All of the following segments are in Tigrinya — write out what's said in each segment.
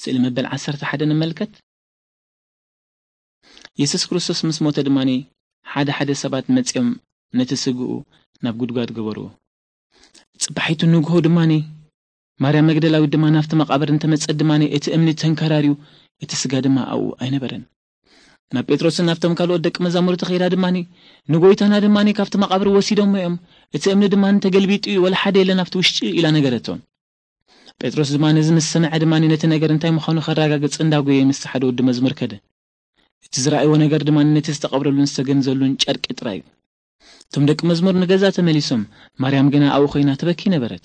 ስእሊ መበል ዓሰርተ ሓደ ንመልከት። የሱስ ክርስቶስ ምስ ሞተ ድማ ሓደ ሓደ ሰባት መጺኦም ነቲ ስግኡ ናብ ጉድጓድ ገበርዎ። ጽባሒቱ ንግሆ ድማ ማርያም መግደላዊት ድማ ናብቲ መቓብር እንተመጸት ድማ እቲ እምኒ ተንከራርዩ፣ እቲ ስጋ ድማ ኣብኡ ኣይነበረን። ናብ ጴጥሮስን ናብቶም ካልኦት ደቂ መዛሙርቲ ከይዳ ድማ፣ ንጎይታና ድማ ካብቲ መቓብር ወሲዶሞ እዮም፣ እቲ እምኒ ድማ ተገልቢጡ እዩ፣ ወላ ሓደ የለን ኣብቲ ውሽጢ ኢላ ነገረቶም። ጴጥሮስ ድማ ነዚ ምስ ሰምዐ ድማ ነቲ ነገር እንታይ ምዃኑ ከረጋግጽ እንዳጎየ ምስ ሓደ ወዲ መዝሙር ከደ። እቲ ዝረኣይዎ ነገር ድማ ነቲ ዝተቐብረሉን ዝተገንዘሉን ጨርቂ ጥራይ እዩ። እቶም ደቂ መዝሙር ንገዛ ተመሊሶም፣ ማርያም ግና ኣብኡ ኮይና ትበኪ ነበረት።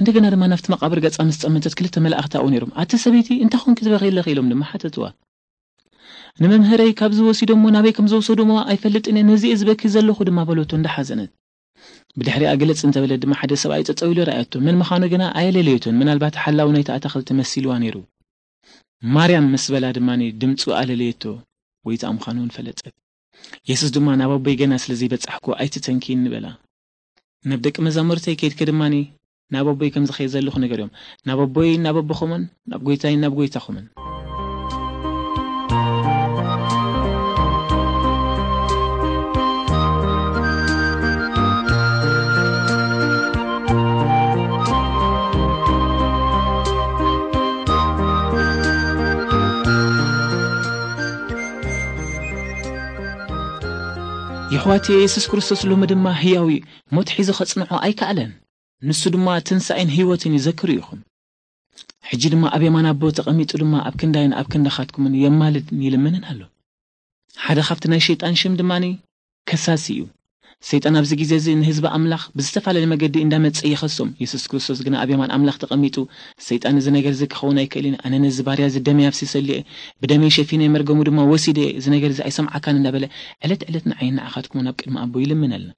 እንደገና ድማ ናብቲ መቓብር ገጻ ምስ ጠመተት ክልተ መላእኽቲ ኣብኡ ነይሮም። ኣቲ ሰበይቲ እንታይ ኮንኪ ትበኺ ኣለኺ? ኢሎም ድማ ሓተትዋ። ንመምህረይ ካብዚ ወሲዶሞ ናበይ ከም ዘውሰዶሞ ኣይፈልጥን እየ፣ ነዚ እየ ዝበኪ ዘለኹ ድማ በለቶ እንዳሓዘነት። ብድሕሪኣ ግልጽ እንተበለት ድማ ሓደ ሰብኣይ ጠጠው ኢሉ ረኣየቶ። መን ምዃኑ ግና ኣየለለየቶን። ምናልባት ሓላዊ ናይቲ ኣታኽልቲ መሲልዋ ነይሩ። ማርያም ምስ በላ ድማ ድምፁ ኣለለየቶ፣ ጎይታ ምዃኑ እውን ፈለጠት። የሱስ ድማ ናብ ኣቦይ ገና ስለ ዘይበጻሕኩ ኣይትተንኪ ንበላ። ናብ ደቂ መዛሙርተይ ከይድኪ ድማ ናብ ኣቦይ ከም ዝኸየ ዘለኹ ንገርዮም። ናብ ኣቦይ ናብ ኣቦኹምን ናብ ጎይታይ ናብ ጎይታኹምን። የሕዋት፣ የሱስ ክርስቶስ ሎሚ ድማ ህያው እዩ። ሞት ሒዙ ከጽንዖ ኣይከኣለን። ንሱ ድማ ትንሳኤን ህይወትን እዩ፣ ዘክሩ ኢኹም። ሕጂ ድማ ኣብ የማን ኣቦ ተቐሚጡ ድማ ኣብ ክንዳይን ኣብ ክንዳኻትኩምን የማልድን ይልምንን ኣሎ። ሓደ ካብቲ ናይ ሸይጣን ሽም ድማ ከሳሲ እዩ። ሰይጣን ኣብዚ ግዜ እዚ ንህዝቢ ኣምላኽ ብዝተፈላለየ መገዲ እንዳመጸ ይኸሶም። የሱስ ክርስቶስ ግና ኣብ የማን ኣምላኽ ተቐሚጡ፣ ሰይጣን እዚ ነገር እዚ ክኸውን ኣይክእልን፣ ኣነ ነዚ ባርያ እዚ ደመይ ኣፍሲሰሉ እየ፣ ብደመይ ሸፊነ መርገሙ ድማ ወሲደ እየ፣ እዚ ነገር እዚ ኣይሰምዓካን እንዳበለ ዕለት ዕለት ንዓይን ንዓኻትኩምን ኣብ ቅድሚ ኣቦ ይልምነልና።